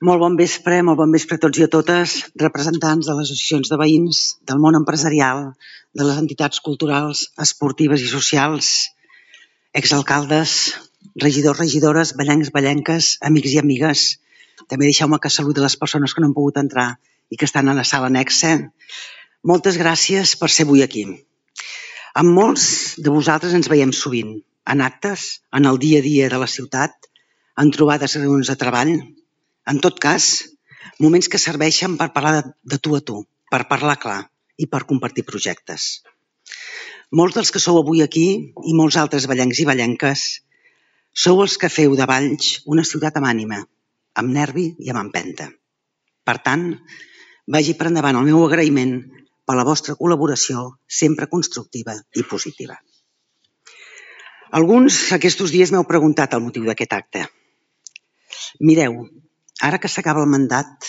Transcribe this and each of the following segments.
Molt bon vespre a tots i a totes, representants de les associacions de veïns, del món empresarial, de les entitats culturals, esportives i socials, exalcaldes, regidors, regidores, ballencs, ballenques, amics i amigues. També deixeu-me que saludi les persones que no han pogut entrar i que estan a la sala anexa. Moltes gràcies per ser avui aquí. Amb molts de vosaltres ens veiem sovint, en actes, en el dia a dia de la ciutat, en trobades i reunions de treball. En tot cas, moments que serveixen per parlar de tu a tu, per parlar clar i per compartir projectes. Molts dels que sou avui aquí i molts altres ballencs i ballenques sou els que feu de Valls una ciutat amb ànima, amb nervi i amb empenta. Per tant, vagi per endavant el meu agraïment per la vostra col·laboració sempre constructiva i positiva. Alguns aquests dies m'heu preguntat el motiu d'aquest acte. Mireu, ara que s'acaba el mandat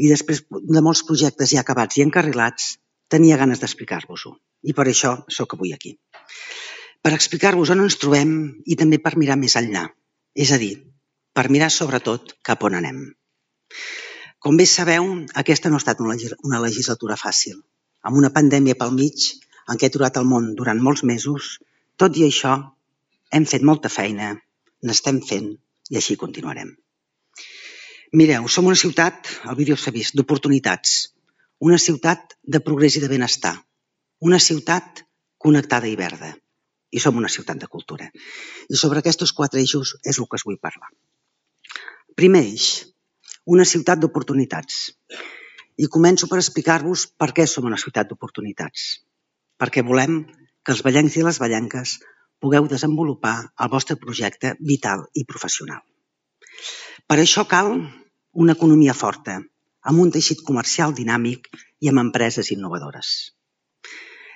i després de molts projectes ja acabats i encarrilats, tenia ganes d'explicar-vos-ho i per això sóc avui aquí. Per explicar-vos on ens trobem i també per mirar més enllà, és a dir, per mirar sobretot cap on anem. Com bé sabeu, aquesta no ha estat una legislatura fàcil, amb una pandèmia pel mig en què ha aturat el món durant molts mesos. Tot i això, hem fet molta feina, n'estem fent i així continuarem. Mireu, som una ciutat, el vídeo s'ha vist, d'oportunitats, una ciutat de progrés i de benestar, una ciutat connectada i verda, i som una ciutat de cultura. I sobre aquests 4 eixos és el que us vull parlar. Primer eix, una ciutat d'oportunitats. I començo per explicar-vos per què som una ciutat d'oportunitats. Perquè volem que els ballencs i les ballenques pugueu desenvolupar el vostre projecte vital i professional. Per això cal una economia forta, amb un teixit comercial dinàmic i amb empreses innovadores.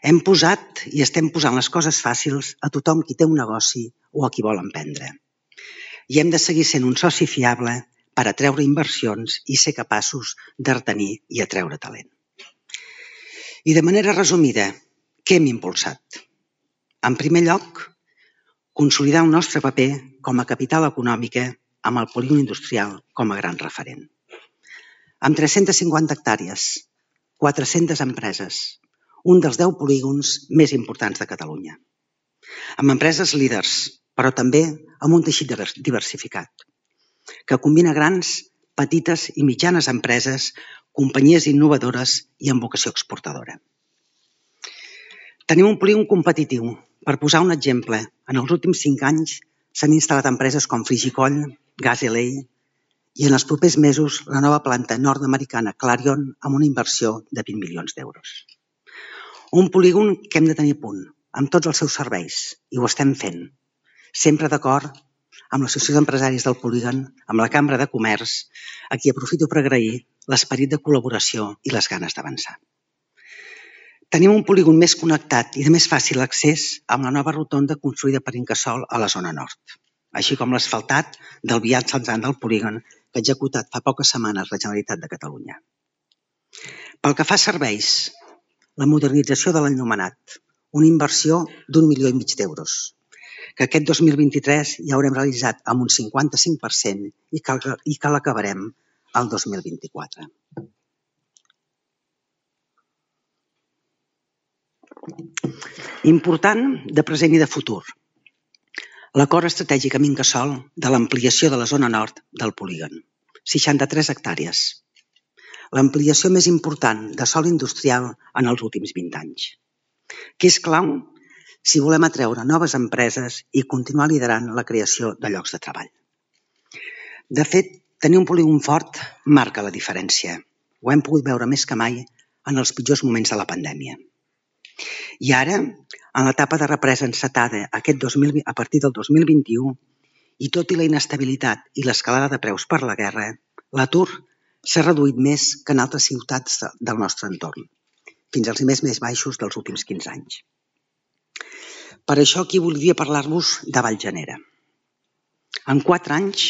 Hem posat i estem posant les coses fàcils a tothom qui té un negoci o a qui vol emprendre. I hem de seguir sent un soci fiable per atreure inversions i ser capaços de retenir i atreure talent. I de manera resumida, què hem impulsat? En primer lloc, consolidar el nostre paper com a capital econòmica amb el polígon industrial com a gran referent. Amb 350 hectàrees, 400 empreses, un dels 10 polígons més importants de Catalunya. Amb empreses líders, però també amb un teixit diversificat, que combina grans, petites i mitjanes empreses, companyies innovadores i amb vocació exportadora. Tenim un polígon competitiu. Per posar un exemple, en els últims 5 anys s'han instal·lat empreses com Frigicoll, Gas LA i en els propers mesos la nova planta nord-americana Clarion amb una inversió de 20 milions d'euros. Un polígon que hem de tenir a punt, amb tots els seus serveis, i ho estem fent, sempre d'acord amb l'Associació d'Empresaris del Polígon, amb la Cambra de Comerç, a qui aprofito per agrair l'esperit de col·laboració i les ganes d'avançar. Tenim un polígon més connectat i de més fàcil accés amb la nova rotonda construïda per Incasòl a la zona nord, així com l'asfaltat del viat censant del polígon que ha executat fa poques setmanes la Generalitat de Catalunya. Pel que fa a serveis, la modernització de l'enllumenat, una inversió d'1,5 milió d'euros, que aquest 2023 ja haurem realitzat amb un 55% i que l'acabarem el 2024. Important de present i de futur. L'acord estratègic amb Incasòl de l'ampliació de la zona nord del polígon, 63 hectàrees. L'ampliació més important de sòl industrial en els últims 20 anys, que és clau si volem atreure noves empreses i continuar liderant la creació de llocs de treball. De fet, tenir un polígon fort marca la diferència. Ho hem pogut veure més que mai en els pitjors moments de la pandèmia. I ara, en l'etapa de represa encetada a partir del 2021, i tot i la inestabilitat i l'escalada de preus per la guerra, l'atur s'ha reduït més que en altres ciutats del nostre entorn, fins als nivells més baixos dels últims 15 anys. Per això aquí voldria parlar-vos de Vallgenera. En 4 anys,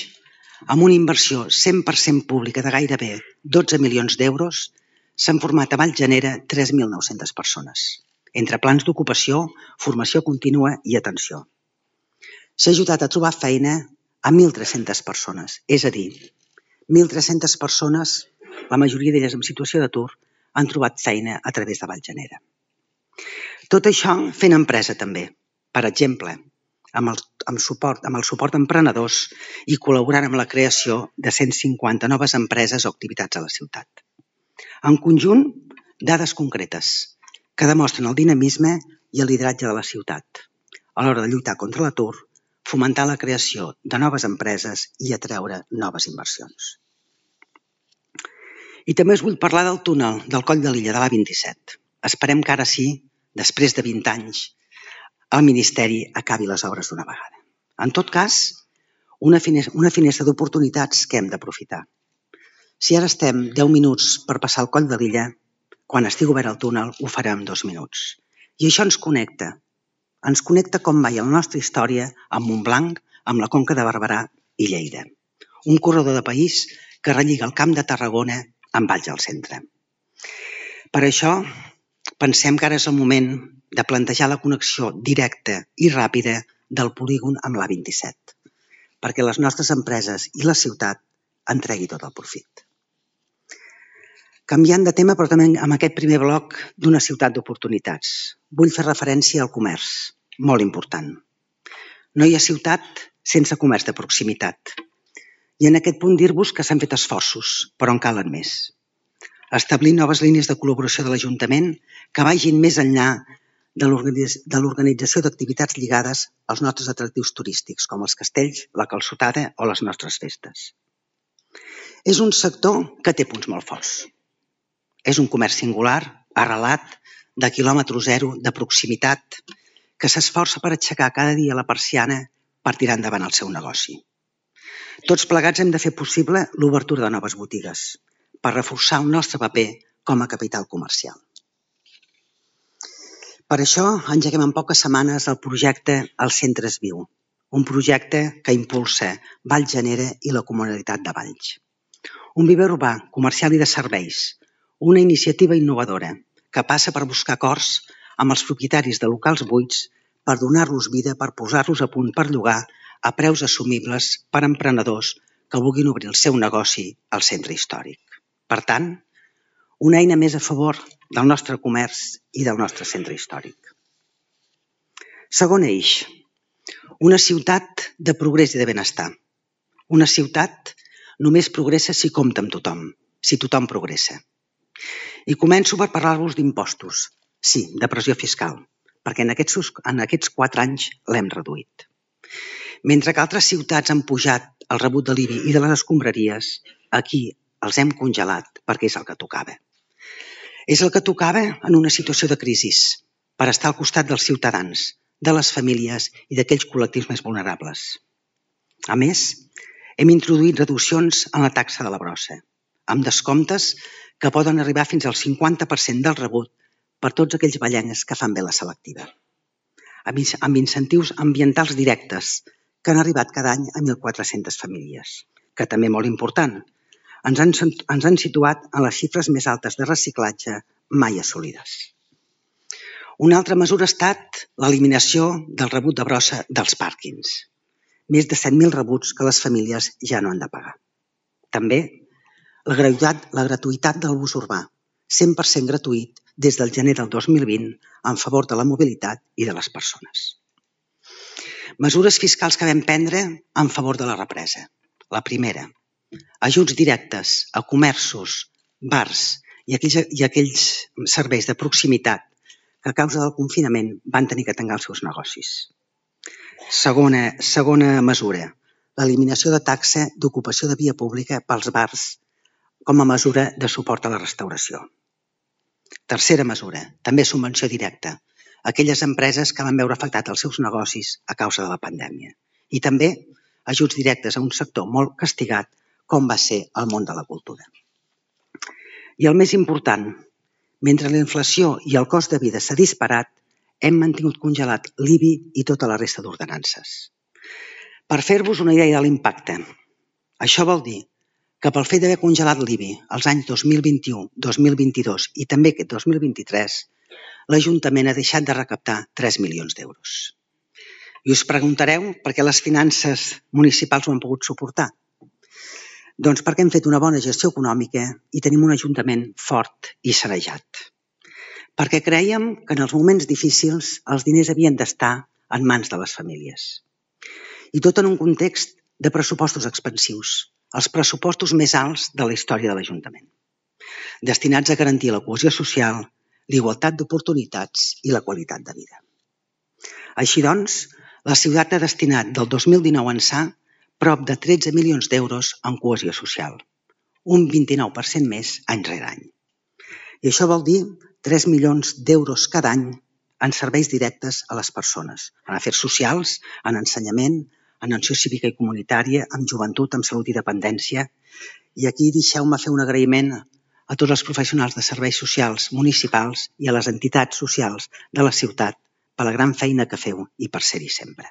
amb una inversió 100% pública de gairebé 12 milions d'euros, s'han format a Vallgenera 3.900 persones, entre plans d'ocupació, formació contínua i atenció. S'ha ajudat a trobar feina a 1.300 persones, és a dir, 1.300 persones, la majoria d'elles en situació d'atur, han trobat feina a través de Vallgenera. Tot això fent empresa també, per exemple, amb el suport a emprenedors i col·laborant amb la creació de 150 noves empreses o activitats a la ciutat. En conjunt, dades concretes que demostren el dinamisme i el lideratge de la ciutat a l'hora de lluitar contra l'atur, fomentar la creació de noves empreses i atreure noves inversions. I també us vull parlar del túnel del Coll de Lilla de l'A27. Esperem que ara sí, després de 20 anys, el Ministeri acabi les obres d'una vegada. En tot cas, una finestra d'oportunitats que hem d'aprofitar. Si ara estem 10 minuts per passar el Coll de Lilla, quan estigui obert el túnel ho farem en 2 minuts. I això ens connecta. Ens connecta com mai a la nostra història amb Montblanc, amb la Conca de Barberà i Lleida. Un corredor de país que relliga el Camp de Tarragona amb Valls al centre. Per això, pensem que ara és el moment de plantejar la connexió directa i ràpida del polígon amb l'A27, perquè les nostres empreses i la ciutat en tregui tot el profit. Canviant de tema, però també amb aquest primer bloc d'una ciutat d'oportunitats. Vull fer referència al comerç, molt important. No hi ha ciutat sense comerç de proximitat. I en aquest punt dir-vos que s'han fet esforços, però en calen més. Establir noves línies de col·laboració de l'Ajuntament que vagin més enllà de l'organització d'activitats lligades als nostres atractius turístics, com els castells, la calçotada o les nostres festes. És un sector que té punts molt forts. És un comerç singular, arrelat, de quilòmetre zero, de proximitat, que s'esforça per aixecar cada dia la persiana per tirar endavant el seu negoci. Tots plegats hem de fer possible l'obertura de noves botigues per reforçar el nostre paper com a capital comercial. Per això engeguem en poques setmanes el projecte Els Centres Viu, un projecte que impulsa Vallgenera i la Comunitat de Valls. Un viver urbà, comercial i de serveis, una iniciativa innovadora que passa per buscar acords amb els propietaris de locals buits per donar-los vida, per posar-los a punt per llogar a preus assumibles per a emprenedors que vulguin obrir el seu negoci al centre històric. Per tant, una eina més a favor del nostre comerç i del nostre centre històric. Segon eix, una ciutat de progrés i de benestar. Una ciutat només progressa si compta amb tothom, si tothom progressa. I començo per parlar-vos d'impostos, sí, de pressió fiscal, perquè en aquests 4 anys l'hem reduït. Mentre que altres ciutats han pujat el rebut de l'IBI i de les escombraries, aquí els hem congelat perquè és el que tocava. És el que tocava en una situació de crisi, per estar al costat dels ciutadans, de les famílies i d'aquells col·lectius més vulnerables. A més, hem introduït reduccions en la taxa de la brossa, amb descomptes que poden arribar fins al 50% del rebut per tots aquells vallencs que fan bé la selectiva. Amb incentius ambientals directes que han arribat cada any a 1.400 famílies, que també molt important, ens han situat en les xifres més altes de reciclatge mai assolides. Una altra mesura ha estat l'eliminació del rebut de brossa dels pàrquings. Més de 7.000 rebuts que les famílies ja no han de pagar. També la gratuïtat del bus urbà, 100% gratuït des del gener del 2020 en favor de la mobilitat i de les persones. Mesures fiscals que vam prendre en favor de la represa. La primera, ajuts directes a comerços, bars i aquells serveis de proximitat que a causa del confinament van tenir que tancar els seus negocis. Segona mesura, l'eliminació de taxa d'ocupació de via pública pels bars com a mesura de suport a la restauració. Tercera mesura, també subvenció directa a aquelles empreses que van veure afectat els seus negocis a causa de la pandèmia. I també ajuts directes a un sector molt castigat com va ser el món de la cultura. I el més important, mentre la inflació i el cost de vida s'ha disparat, hem mantingut congelat l'IBI i tota la resta d'ordenances. Per fer-vos una idea de l'impacte, això vol dir que pel fet d'haver congelat l'IBI els anys 2021, 2022 i també aquest 2023, l'Ajuntament ha deixat de recaptar 3 milions d'euros. I us preguntareu per què les finances municipals ho han pogut suportar. Doncs perquè hem fet una bona gestió econòmica i tenim un Ajuntament fort i sanejat. Perquè crèiem que en els moments difícils els diners havien d'estar en mans de les famílies. I tot en un context de pressupostos expansius, els pressupostos més alts de la història de l'Ajuntament, destinats a garantir la cohesió social, l'igualtat d'oportunitats i la qualitat de vida. Així doncs, la ciutat ha destinat del 2019 ençà prop de 13 milions d'euros en cohesió social, un 29% més any rere any. I això vol dir 3 milions d'euros cada any en serveis directes a les persones, en afers socials, en ensenyament, en acció cívica i comunitària, en joventut, en salut i dependència. I aquí deixeu-me fer un agraïment a tots els professionals de serveis socials municipals i a les entitats socials de la ciutat per la gran feina que feu i per ser-hi sempre.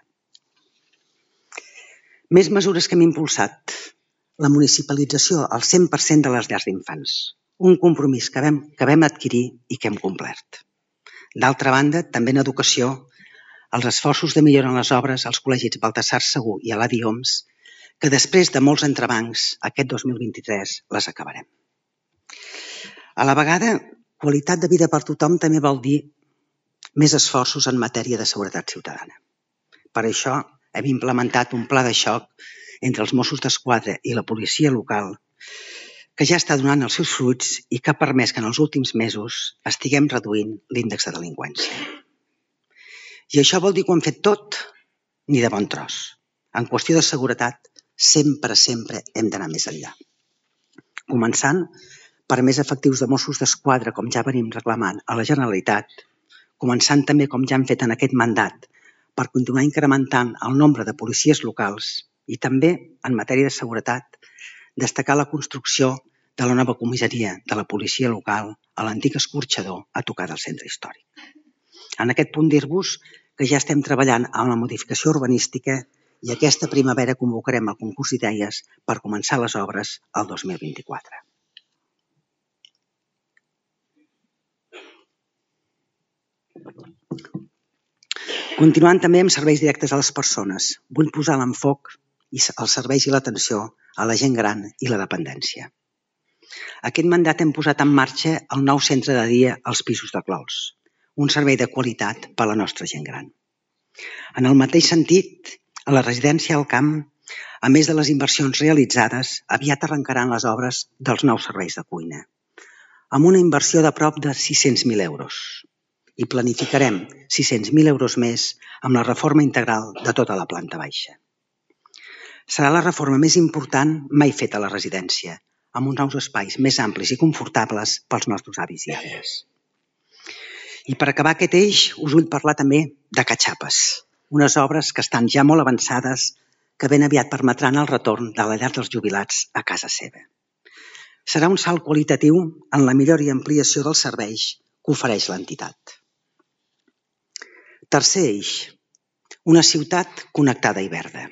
Més mesures que hem impulsat. La municipalització al 100% de les llars d'infants. Un compromís que vam adquirir i que hem complert. D'altra banda, també en educació, els esforços de millora en les obres als col·legis Baltasar Segur i Eladi Homs, que després de molts entrebancs, aquest 2023 les acabarem. A la vegada, qualitat de vida per tothom també vol dir més esforços en matèria de seguretat ciutadana. Per això hem implementat un pla de xoc entre els Mossos d'Esquadra i la policia local que ja està donant els seus fruits i que ha permès que en els últims mesos estiguem reduint l'índex de delinqüència. I això vol dir que ho hem fet tot ni de bon tros. En qüestió de seguretat, sempre hem d'anar més enllà. Començant per més efectius de Mossos d'Esquadra, com ja venim reclamant a la Generalitat, començant també, com ja hem fet en aquest mandat, per continuar incrementant el nombre de policies locals i també, en matèria de seguretat, destacar la construcció de la nova comissaria de la policia local a l'antic escorxador a tocar del centre històric. En aquest punt dir-vos que ja estem treballant en la modificació urbanística i aquesta primavera convocarem el concurs d'idees per començar les obres el 2024. Continuant també amb serveis directes a les persones, vull posar l'enfoc als serveis i l'atenció a la gent gran i la dependència. Aquest mandat hem posat en marxa el nou centre de dia als Pisos de Clols, un servei de qualitat per a la nostra gent gran. En el mateix sentit, a la residència al Camp, a més de les inversions realitzades, aviat arrencaran les obres dels nous serveis de cuina, amb una inversió de prop de 600.000 euros. I planificarem 600.000 euros més amb la reforma integral de tota la planta baixa. Serà la reforma més important mai feta a la residència, amb uns nous espais més amplis i confortables pels nostres avis i àvies. I per acabar aquest eix, us vull parlar també de Catxapes, unes obres que estan ja molt avançades que ben aviat permetran el retorn de la llar dels jubilats a casa seva. Serà un salt qualitatiu en la millora i ampliació dels serveis que ofereix l'entitat. Tercer eix, una ciutat connectada i verda.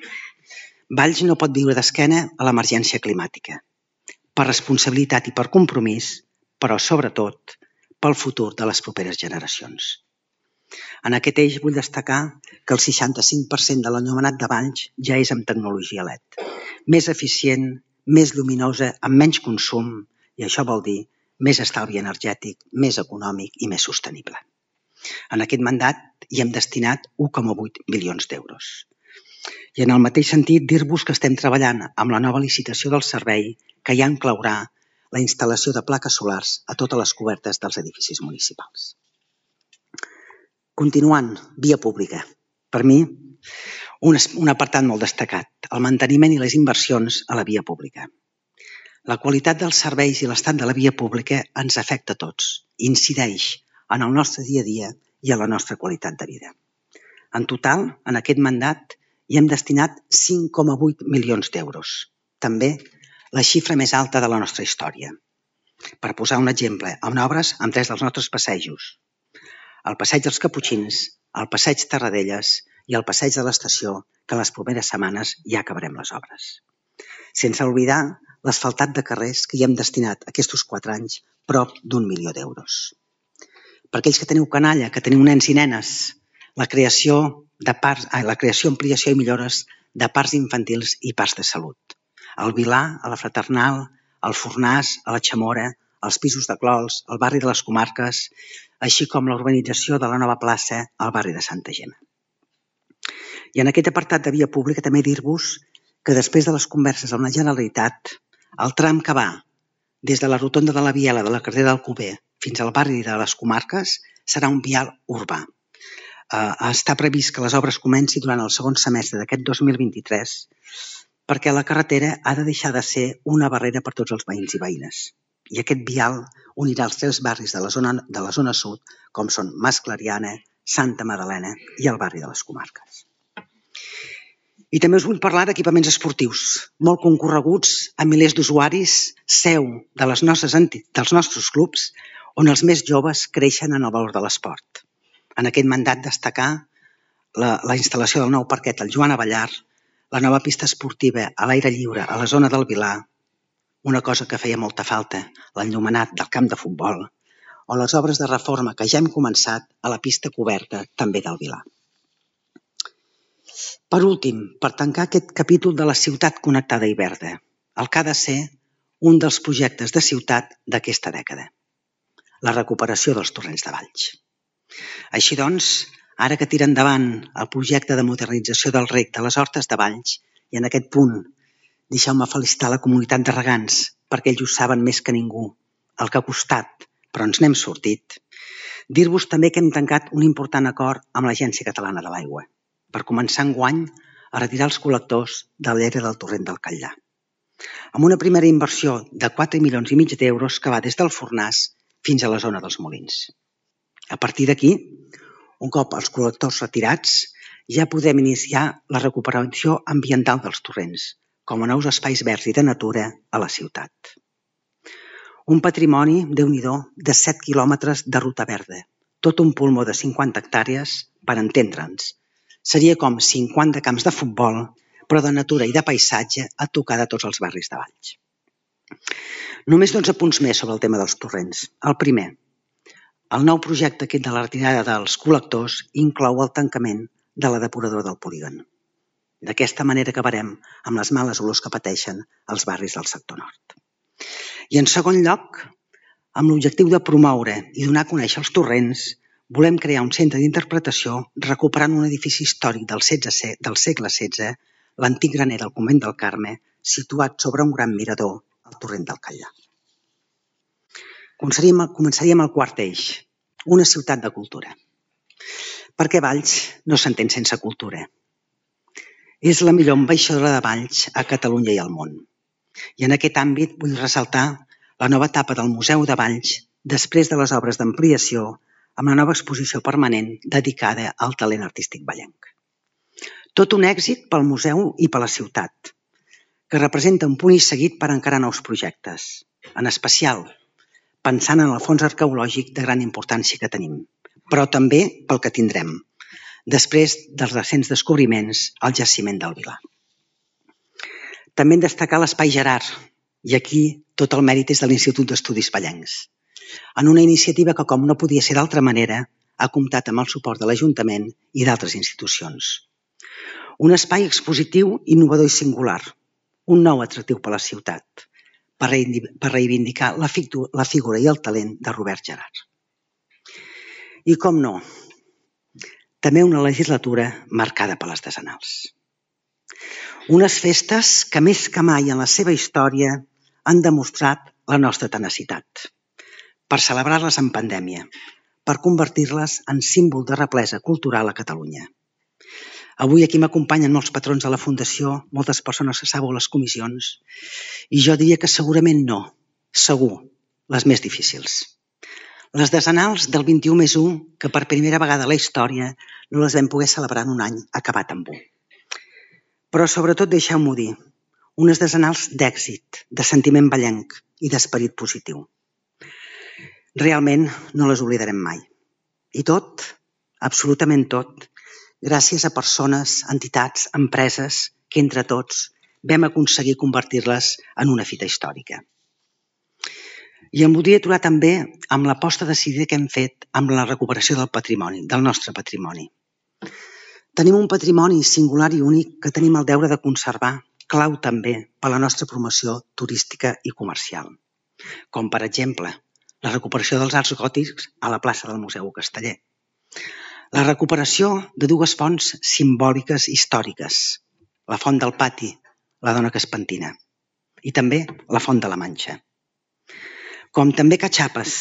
Valls no pot viure d'esquena a l'emergència climàtica, per responsabilitat i per compromís, però sobretot pel futur de les properes generacions. En aquest eix vull destacar que el 65% de l'enllumenat de Valls ja és amb tecnologia LED. Més eficient, més lluminosa, amb menys consum, i això vol dir més estalvi energètic, més econòmic i més sostenible. En aquest mandat hi hem destinat 1,8 milions d'euros. I en el mateix sentit, dir-vos que estem treballant amb la nova licitació del servei que ja inclourà la instal·lació de plaques solars a totes les cobertes dels edificis municipals. Continuant, via pública. Per mi, un apartat molt destacat, el manteniment i les inversions a la via pública. La qualitat dels serveis i l'estat de la via pública ens afecta a tots, incideix en el nostre dia a dia i a la nostra qualitat de vida. En total, en aquest mandat, hi hem destinat 5,8 milions d'euros, també la xifra més alta de la nostra història. Per posar un exemple, amb obres amb 3 dels nostres passejos, el passeig dels Caputxins, el passeig Terradelles i el passeig de l'estació, que en les properes setmanes ja acabarem les obres. Sense oblidar l'asfaltat de carrers que hi hem destinat aquests 4 anys prop d'1 milió d'euros. Per aquells que teniu canalla, que teniu nens i nenes, la creació, ampliació i millores de parcs infantils i parcs de salut. Al Vilar, a la Fraternal, al Fornàs, a la Chamora, als pisos de Clols, al barri de les Comarques, així com la urbanització de la nova plaça al barri de Santa Gemma. I en aquest apartat de via pública també dir-vos que després de les converses amb la Generalitat, el tram que va des de la rotonda de la Biela de la carretera d'Alcover fins al barri de les Comarques serà un vial urbà. Està previst que les obres comencin durant el segon semestre d'aquest 2023 perquè la carretera ha de deixar de ser una barrera per tots els veïns i veïnes. I aquest vial unirà els 3 barris de la zona sud, com són Mas Clariana, Santa Magdalena i el barri de les Comarques. I també us vull parlar d'equipaments esportius, molt concorreguts a milers d'usuaris, seu dels nostres clubs, on els més joves creixen en el valor de l'esport. En aquest mandat destacar la instal·lació del nou parquet al Joan Abellar, la nova pista esportiva a l'aire lliure a la zona del Vilar, una cosa que feia molta falta, l'enllumenat del camp de futbol, o les obres de reforma que ja hem començat a la pista coberta també del Vilar. Per últim, per tancar aquest capítol de la ciutat connectada i verda, el que ha de ser un dels projectes de ciutat d'aquesta dècada, la recuperació dels torrents de Valls. Així doncs, ara que tira endavant el projecte de modernització del rec de les Hortes de Valls, i en aquest punt deixeu-me felicitar la comunitat de regants, perquè ells ho saben més que ningú, el que ha costat, però ens n'hem sortit. Dir-vos també que hem tancat un important acord amb l'Agència Catalana de l'Aigua, per començar enguany a retirar els col·lectors de l'era del torrent del Catllà, amb una primera inversió de 4,5 milions d'euros que va des del Fornàs fins a la zona dels Molins. A partir d'aquí, un cop els col·lectors retirats, ja podem iniciar la recuperació ambiental dels torrents, com a nous espais verds i de natura a la ciutat. Un patrimoni, Déu-n'hi-do, de 7 quilòmetres de ruta verda, tot un pulmó de 50 hectàrees, per entendre'ns. Seria com 50 camps de futbol, però de natura i de paisatge a tocar de tots els barris de Valls. Només 12 punts més sobre el tema dels torrents. El primer, el nou projecte aquest de la retirada dels col·lectors inclou el tancament de la depuradora del polígon. D'aquesta manera acabarem amb les males olors que pateixen els barris del sector nord. I en segon lloc, amb l'objectiu de promoure i donar a conèixer els torrents, volem crear un centre d'interpretació recuperant un edifici històric del segle XVI, l'antic graner del convent del Carme, situat sobre un gran mirador al torrent del Catllà. Començaríem el quart eix, una ciutat de cultura. Perquè Valls no s'entén sense cultura. És la millor ambaixadora de Valls a Catalunya i al món. I en aquest àmbit vull ressaltar la nova etapa del Museu de Valls després de les obres d'ampliació amb la nova exposició permanent dedicada al talent artístic vallenc. Tot un èxit pel museu i per la ciutat, que representa un punt i seguit per encarar nous projectes, en especial pensant en el fons arqueològic de gran importància que tenim, però també pel que tindrem, després dels recents descobriments al jaciment del Vilar. També hem de destacar l'Espai Gerard, i aquí tot el mèrit és de l'Institut d'Estudis Vallencs, en una iniciativa que, com no podia ser d'altra manera, ha comptat amb el suport de l'Ajuntament i d'altres institucions. Un espai expositiu innovador i singular, un nou atractiu per a la ciutat, per reivindicar la figura i el talent de Robert Gerhard. I com no, també una legislatura marcada per les decenals. Unes festes que més que mai en la seva història han demostrat la nostra tenacitat per celebrar-les en pandèmia, per convertir-les en símbol de replesa cultural a Catalunya. Avui aquí m'acompanyen molts patrons de la Fundació, moltes persones que sabeu les comissions, i jo diria que segurament no, segur, les més difícils. Les decenals del 21+1, que per primera vegada a la història no les vam poder celebrar en un any acabat amb 1. Però sobretot deixeu-m'ho dir, unes decenals d'èxit, de sentiment vallenc i d'esperit positiu. Realment no les oblidarem mai. I tot, absolutament tot, gràcies a persones, entitats, empreses que entre tots vam aconseguir convertir-les en una fita històrica. I em voldria aturar també amb l'aposta decidida que hem fet amb la recuperació del patrimoni, del nostre patrimoni. Tenim un patrimoni singular i únic que tenim el deure de conservar, clau també per a la nostra promoció turística i comercial, com per exemple la recuperació dels arcs gòtics a la plaça del Museu Casteller, la recuperació de dues fonts simbòliques històriques, la Font del Pati, la Dona que es pentina, i també la Font de la Manxa. Com també Catxapes,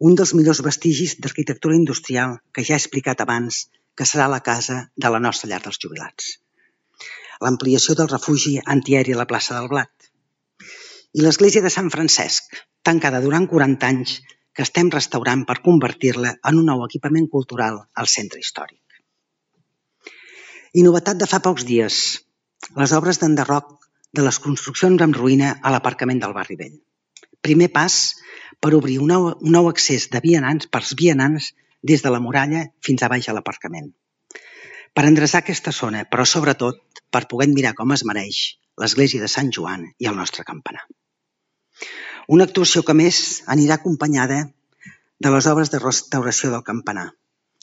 un dels millors vestigis d'arquitectura industrial que ja he explicat abans que serà la casa de la nostra llar dels jubilats. L'ampliació del refugi antiaeri a la plaça del Blat. I l'església de Sant Francesc, tancada durant 40 anys, que estem restaurant per convertir-la en un nou equipament cultural al centre històric. I novetat de fa pocs dies, les obres d'enderroc de les construccions en ruïna a l'aparcament del Barri Vell. Primer pas per obrir un nou accés de vianants pels vianants des de la muralla fins a baix a l'aparcament. Per endreçar aquesta zona, però sobretot per poder mirar com es mereix l'església de Sant Joan i el nostre campanar. Una actuació que més anirà acompanyada de les obres de restauració del campanar,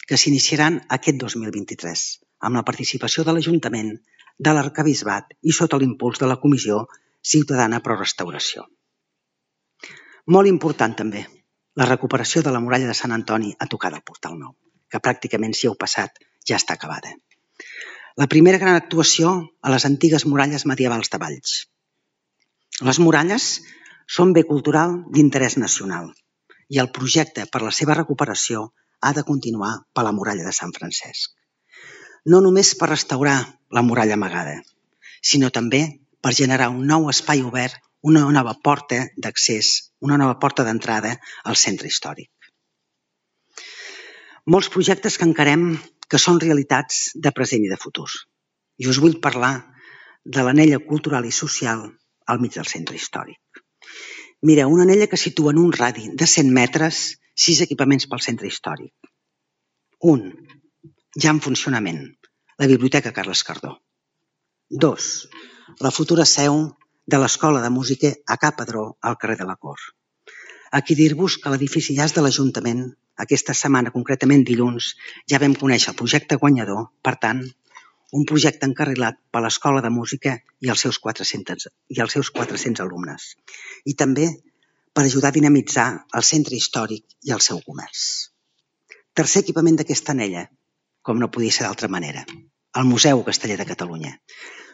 que s'iniciaran aquest 2023, amb la participació de l'Ajuntament, de l'Arquebisbat i sota l'impuls de la Comissió Ciutadana Pro Restauració. Molt important també, la recuperació de la muralla de Sant Antoni a tocar del Portal Nou, que pràcticament si heu passat ja està acabada. La primera gran actuació a les antigues muralles medievals de Valls. Les muralles són bé cultural d'interès nacional i el projecte per la seva recuperació ha de continuar per la muralla de Sant Francesc. No només per restaurar la muralla amagada, sinó també per generar un nou espai obert, una nova porta d'accés, una nova porta d'entrada al centre històric. Molts projectes que encarem que són realitats de present i de futur. I us vull parlar de l'anella cultural i social al mig del centre històric. Mireu, una anella que situa en un radi de 100 metres 6 equipaments pel centre històric. Un, ja en funcionament, la Biblioteca Carles Cardó. 2, la futura seu de l'Escola de Música a Ca Padró al carrer de la Cor. Aquí dir-vos que l'edifici ja és de l'Ajuntament. Aquesta setmana, concretament dilluns, ja vam conèixer el projecte guanyador, per tant, un projecte encarrilat per l'Escola de Música i els seus 400 alumnes. I també per ajudar a dinamitzar el centre històric i el seu comerç. Tercer equipament d'aquesta anella, com no podia ser d'altra manera, el Museu Casteller de Catalunya.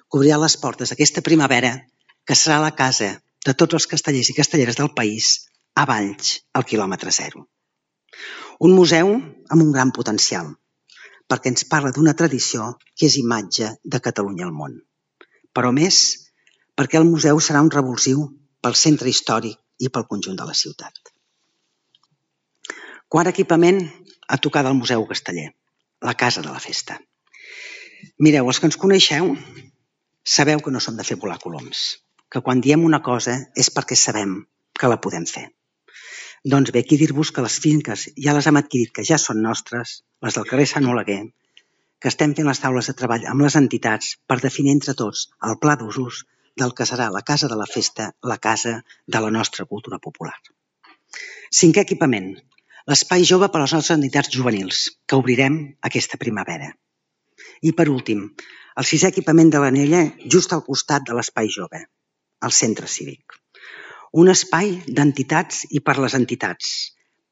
Cobrirà les portes aquesta primavera, que serà la casa de tots els castellers i castelleres del país a Valls, al quilòmetre zero. Un museu amb un gran potencial, perquè ens parla d'una tradició que és imatge de Catalunya al món. Però més, perquè el museu serà un revulsiu pel centre històric i pel conjunt de la ciutat. Quart equipament a tocar del Museu Casteller, la Casa de la Festa. Mireu, els que ens coneixeu sabeu que no som de fer volar coloms, que quan diem una cosa és perquè sabem que la podem fer. Doncs bé, aquí dir-vos que les finques ja les hem adquirit, que ja són nostres, les del carrer Sant Oleguer, que estem fent les taules de treball amb les entitats per definir entre tots el pla d'usos del que serà la Casa de la Festa, la casa de la nostra cultura popular. Cinquè equipament, l'espai jove per a les nostres entitats juvenils, que obrirem aquesta primavera. I per últim, el 6è equipament de l'Anella just al costat de l'espai jove, el centre cívic. Un espai d'entitats i per les entitats,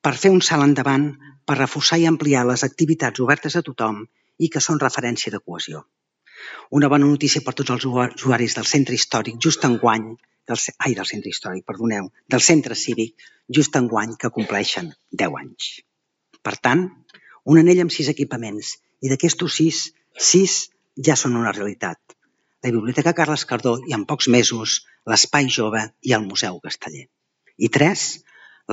per fer un salt endavant, per reforçar i ampliar les activitats obertes a tothom i que són referència de cohesió. Una bona notícia per tots els usuaris del centre històric just enguany, del centre cívic, just enguany que compleixen 10 anys. Per tant, un anell amb 6 equipaments i d'aquestos 6 ja són una realitat. La Biblioteca Carles Cardó i en pocs mesos l'Espai Jove i el Museu Casteller. I 3,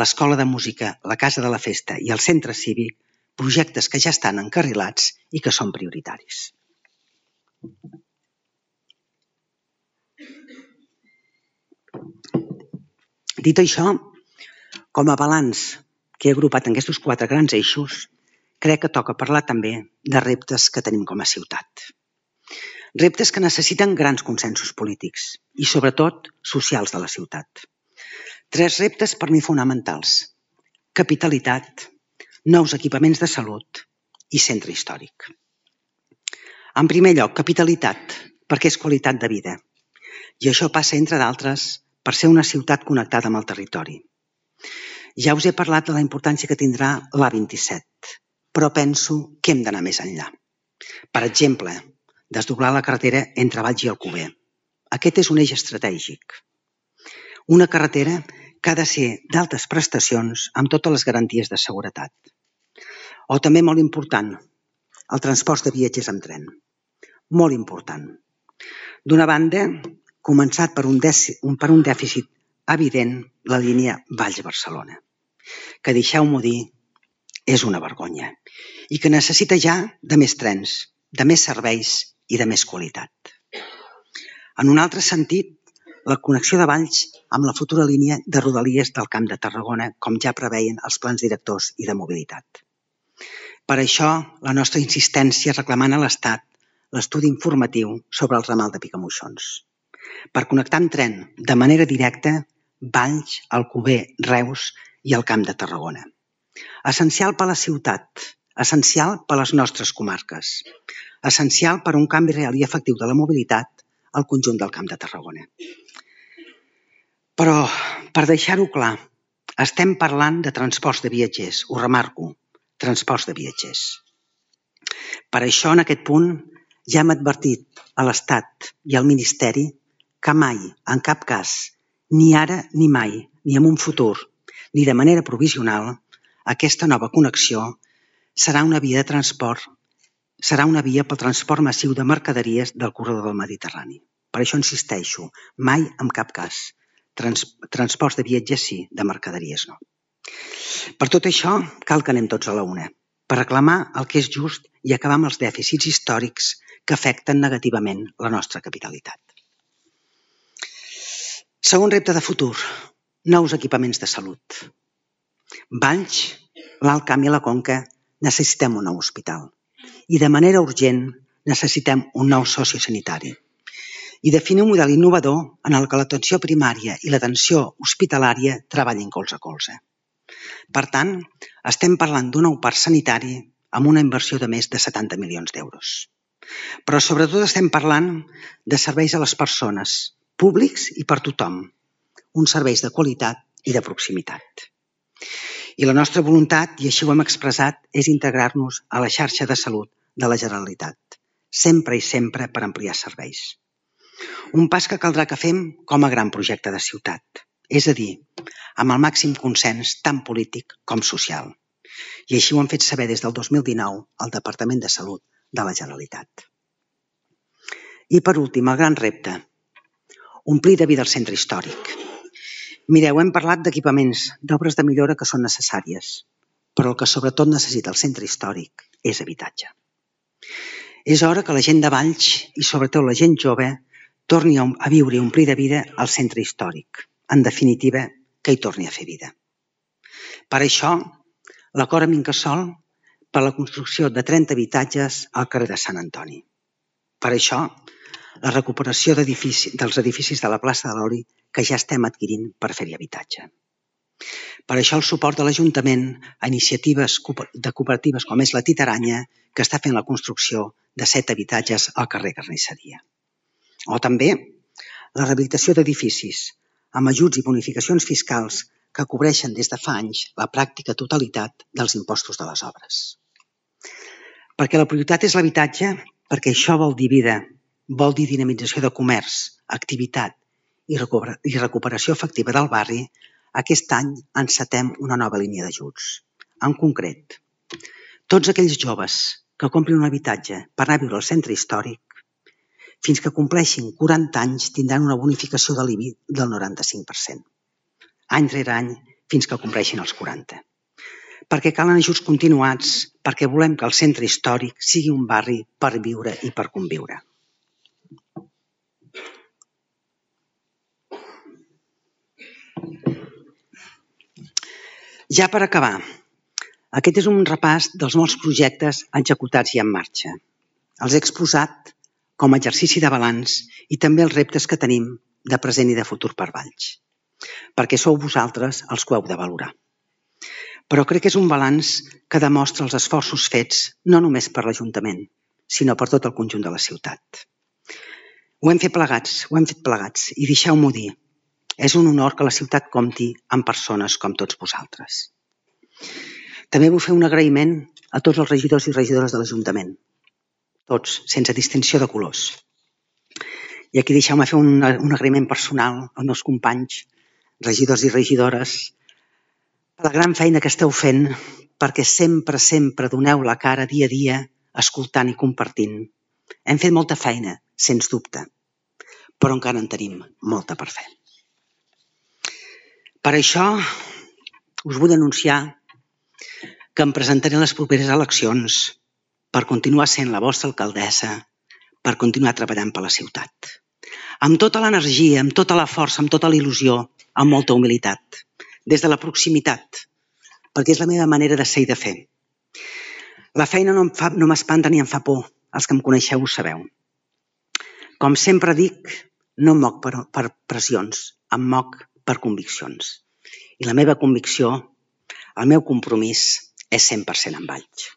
l'Escola de Música, la Casa de la Festa i el Centre Cívic, projectes que ja estan encarrilats i que són prioritaris. Dit això, com a balanç que he agrupat en aquests 4 grans eixos, crec que toca parlar també de reptes que tenim com a ciutat. Reptes que necessiten grans consensos polítics i, sobretot, socials de la ciutat. 3 reptes per mi fonamentals: capitalitat, nous equipaments de salut i centre històric. En primer lloc, capitalitat, perquè és qualitat de vida. I això passa, entre d'altres, per ser una ciutat connectada amb el territori. Ja us he parlat de la importància que tindrà l'A27, però penso que hem d'anar més enllà. Per exemple, desdoblar la carretera entre Valls i Alcover. Aquest és un eix estratègic. Una carretera que ha de ser d'altes prestacions amb totes les garanties de seguretat. O també molt important, el transport de viatgers amb tren. Molt important. D'una banda, començat per un dèficit evident, la línia Valls-Barcelona, que, deixeu-m'ho dir, és una vergonya i que necessita ja de més trens, de més serveis i de més qualitat. En un altre sentit, la connexió de Valls amb la futura línia de Rodalies del Camp de Tarragona, com ja preveien els plans directors i de mobilitat. Per això, la nostra insistència reclamant a l'Estat l'estudi informatiu sobre el ramal de Picamoixons, per connectar amb tren de manera directa Valls, Alcover, Reus i el Camp de Tarragona. Essencial per a la ciutat, essencial per a les nostres comarques, essencial per a un canvi real i efectiu de la mobilitat al conjunt del Camp de Tarragona. Però, per deixar-ho clar, estem parlant de transports de viatgers, ho remarco, transports de viatgers. Per això, en aquest punt, ja hem advertit a l'Estat i al Ministeri que mai, en cap cas, ni ara ni mai, ni en un futur, ni de manera provisional, aquesta nova connexió serà una via de transport, serà una via pel transport massiu de mercaderies del corredor del Mediterrani. Per això insisteixo, mai en cap cas. Transports de viatgers sí, de mercaderies no. Per tot això, cal que anem tots a la una, per reclamar el que és just i acabar amb els dèficits històrics que afecten negativament la nostra capitalitat. Segon repte de futur, nous equipaments de salut. Valls, l'Alt Camp i la Conca necessitem un nou hospital i de manera urgent necessitem un nou sociosanitari i definir un model innovador en el que l'atenció primària i l'atenció hospitalària treballin colze a colze. Per tant, estem parlant d'un nou parc sanitari amb una inversió de més de 70 milions d'euros. Però sobretot estem parlant de serveis a les persones, públics i per tothom, uns serveis de qualitat i de proximitat. I la nostra voluntat, i així ho hem expressat, és integrar-nos a la xarxa de salut de la Generalitat, sempre i sempre per ampliar serveis. Un pas que caldrà que fem com a gran projecte de ciutat, és a dir, amb el màxim consens tant polític com social. I així ho hem fet saber des del 2019 al Departament de Salut de la Generalitat. I per últim, el gran repte, omplir de vida el centre històric. Mireu, hem parlat d'equipaments, d'obres de millora que són necessàries, però el que sobretot necessita el centre històric és habitatge. És hora que la gent de Valls, i sobretot la gent jove, torni a viure i omplir de vida el centre històric. En definitiva, que hi torni a fer vida. Per això, l'acord amb Incasòl per la construcció de 30 habitatges al carrer de Sant Antoni. Per això, la recuperació dels edificis de la plaça de l'Oli que ja estem adquirint per fer-hi habitatge. Per això el suport de l'Ajuntament a iniciatives de cooperatives com és la Titaranya, que està fent la construcció de 7 habitatges al carrer Carnisseria. O també la rehabilitació d'edificis, amb ajuts i bonificacions fiscals que cobreixen des de fa anys la pràctica totalitat dels impostos de les obres. Perquè la prioritat és l'habitatge, perquè això vol dir vida, vol dir dinamització de comerç, activitat i recuperació efectiva del barri, aquest any encetem una nova línia d'ajuts. En concret, tots aquells joves que comprin un habitatge per anar a viure al centre històric, fins que compleixin 40 anys tindran una bonificació de l'IBI del 95%. Any rere any fins que compleixin els 40. Perquè calen ajuts continuats, perquè volem que el centre històric sigui un barri per viure i per conviure. Ja per acabar, aquest és un repàs dels molts projectes executats i en marxa. Els he exposat com a exercici de balanç i també els reptes que tenim de present i de futur per Valls, perquè sou vosaltres els que ho heu de valorar. Però crec que és un balanç que demostra els esforços fets no només per l'Ajuntament, sinó per tot el conjunt de la ciutat. Ho hem fet plegats i deixeu-m'ho dir, és un honor que la ciutat compti amb persones com tots vosaltres. També vull fer un agraïment a tots els regidors i regidores de l'Ajuntament, tots, sense distinció de colors. I aquí deixeu-me fer un agraïment personal als meus companys, regidors i regidores, per la gran feina que esteu fent, perquè sempre doneu la cara dia a dia, escoltant i compartint. Hem fet molta feina, sens dubte, però encara en tenim molta per fer. Per això us vull anunciar que em presentaré a les properes eleccions per continuar sent la vostra alcaldessa, per continuar treballant per la ciutat. Amb tota l'energia, amb tota la força, amb tota la il·lusió, amb molta humilitat, des de la proximitat, perquè és la meva manera de ser i de fer. La feina no m'espanta ni em fa por, els que em coneixeu ho sabeu. Com sempre dic, no em moc per pressions, em moc per conviccions. I la meva convicció, el meu compromís, és 100% amb Valls.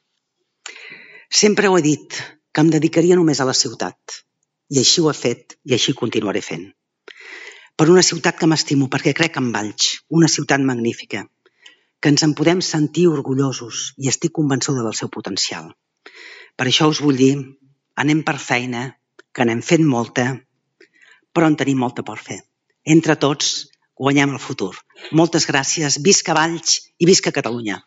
Sempre ho he dit, que em dedicaria només a la ciutat, i així ho he fet i així continuaré fent. Per una ciutat que m'estimo, perquè crec en Valls, una ciutat magnífica, que ens en podem sentir orgullosos i estic convençuda del seu potencial. Per això us vull dir, anem per feina, que n'hem fet molta, però en tenim molta per fer. Entre tots, guanyem el futur. Moltes gràcies, visca Valls i visca Catalunya.